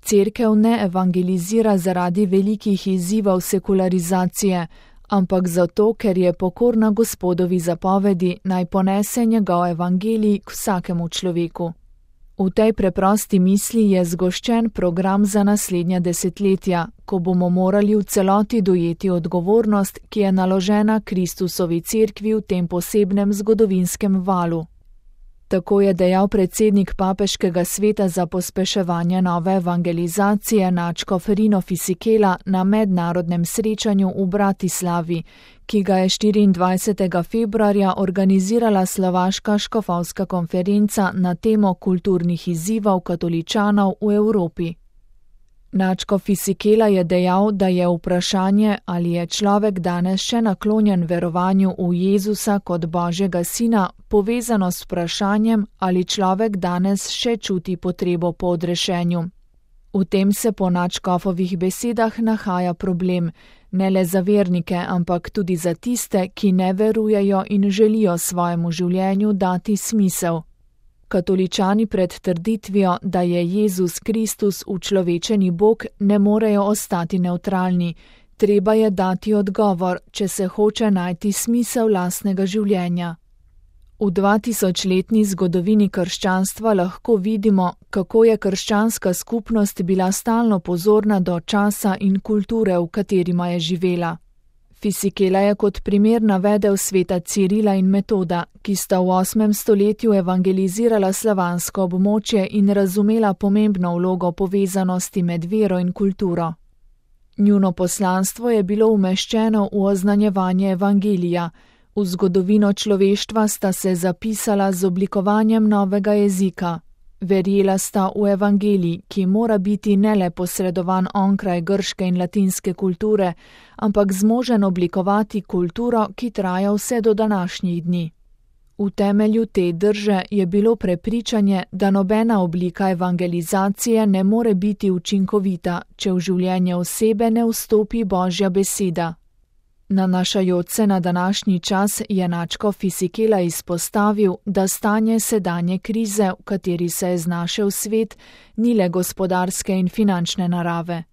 Cerkev ne evangelizira zaradi velikih izzivov sekularizacije, ampak zato, ker je pokorna Gospodovi zapovedi, naj ponese njegov evangelij k vsakemu človeku. V tej preprosti misli je zgoščen program za naslednja desetletja, ko bomo morali v celoti dojeti odgovornost, ki je naložena Kristusovi cerkvi v tem posebnem zgodovinskem valu. Tako je dejal predsednik Papeškega sveta za pospeševanje nove evangelizacije nadškof Rino Fisichella na mednarodnem srečanju v Bratislavi, ki ga je 24. februarja organizirala Slovaška škofovska konferenca na temo kulturnih izzivov katoličanov v Evropi. Nadškof Fisichella je dejal, da je vprašanje, ali je človek danes še naklonjen verovanju v Jezusa kot Božjega sina, povezano s vprašanjem, ali človek danes še čuti potrebo po odrešenju. V tem se po nadškofovih besedah nahaja problem, ne le za vernike, ampak tudi za tiste, ki ne verujejo in želijo svojemu življenju dati smisel. Katoličani pred trditvijo, da je Jezus Kristus učlovečeni Bog, ne morejo ostati nevtralni. Treba je dati odgovor, če se hoče najti smisel lastnega življenja. V 2000-letni zgodovini krščanstva lahko vidimo, kako je krščanska skupnost bila stalno pozorna do časa in kulture, v katerima je živela. Fisichella je kot primer navedel sveta Cirila in Metoda, ki sta v 8. stoletju evangelizirala slovansko območje in razumela pomembno vlogo povezanosti med vero in kulturo. Njuno poslanstvo je bilo umeščeno v oznanjevanje evangelija, v zgodovino človeštva sta se zapisala z oblikovanjem novega jezika. Verjela sta v evangelij, ki mora biti ne le posredovan onkraj grške in latinske kulture, ampak zmožen oblikovati kulturo, ki traja vse do današnjih dni. V temelju te drže je bilo prepričanje, da nobena oblika evangelizacije ne more biti učinkovita, če v življenje osebe ne vstopi Božja beseda. Nanašajoč se na današnji čas je nadškof Fisichella izpostavil, da stanje sedanje krize, v kateri se je znašel svet, ni le gospodarske in finančne narave.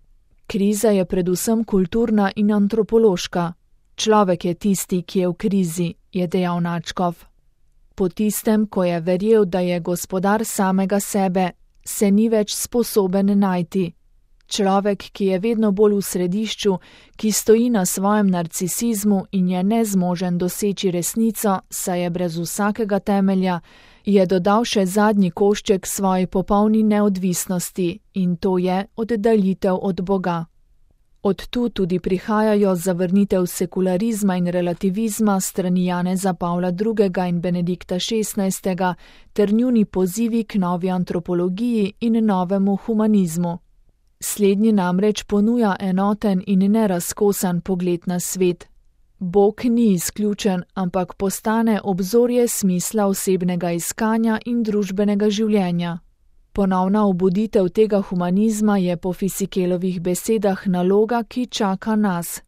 Kriza je predvsem kulturna in antropološka. Človek je tisti, ki je v krizi, je dejal nadškof. Po tistem, ko je verjel, da je gospodar samega sebe, se ni več sposoben najti. Človek, ki je vedno bolj v središču, ki stoji na svojem narcisizmu in je nezmožen doseči resnico, saj je brez vsakega temelja, je dodal še zadnji košček svoji popolni neodvisnosti in to je oddaljitev od Boga. Od tu tudi prihajajo zavrnitev sekularizma in relativizma strani Janeza Pavla II. In Benedikta XVI. Ter njuni pozivi k novi antropologiji in novemu humanizmu. Slednji namreč ponuja enoten in nerazkosan pogled na svet. Bog ni izključen, ampak postane obzorje smisla osebnega iskanja in družbenega življenja. Ponovna obuditev tega humanizma je po Fisichellovih besedah naloga, ki čaka nas.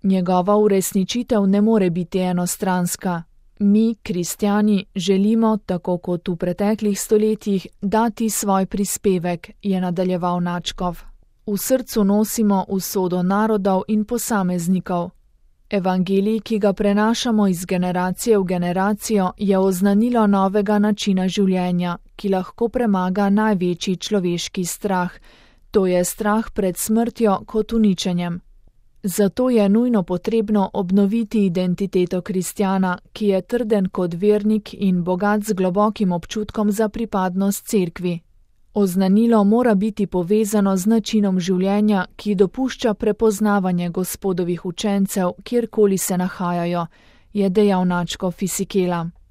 Njegova uresničitev ne more biti enostranska. Mi, kristjani, želimo, tako kot v preteklih stoletjih, dati svoj prispevek, je nadaljeval nadškof. V srcu nosimo usodo narodov in posameznikov. Evangelij, ki ga prenašamo iz generacije v generacijo, je oznanilo novega načina življenja, ki lahko premaga največji človeški strah, to je strah pred smrtjo kot uničenjem. Zato je nujno potrebno obnoviti identiteto kristjana, ki je trden kot vernik in bogat z globokim občutkom za pripadnost cerkvi. Oznanilo mora biti povezano z načinom življenja, ki dopušča prepoznavanje Gospodovih učencev, kjerkoli se nahajajo, je dejal nadškof Fisichella.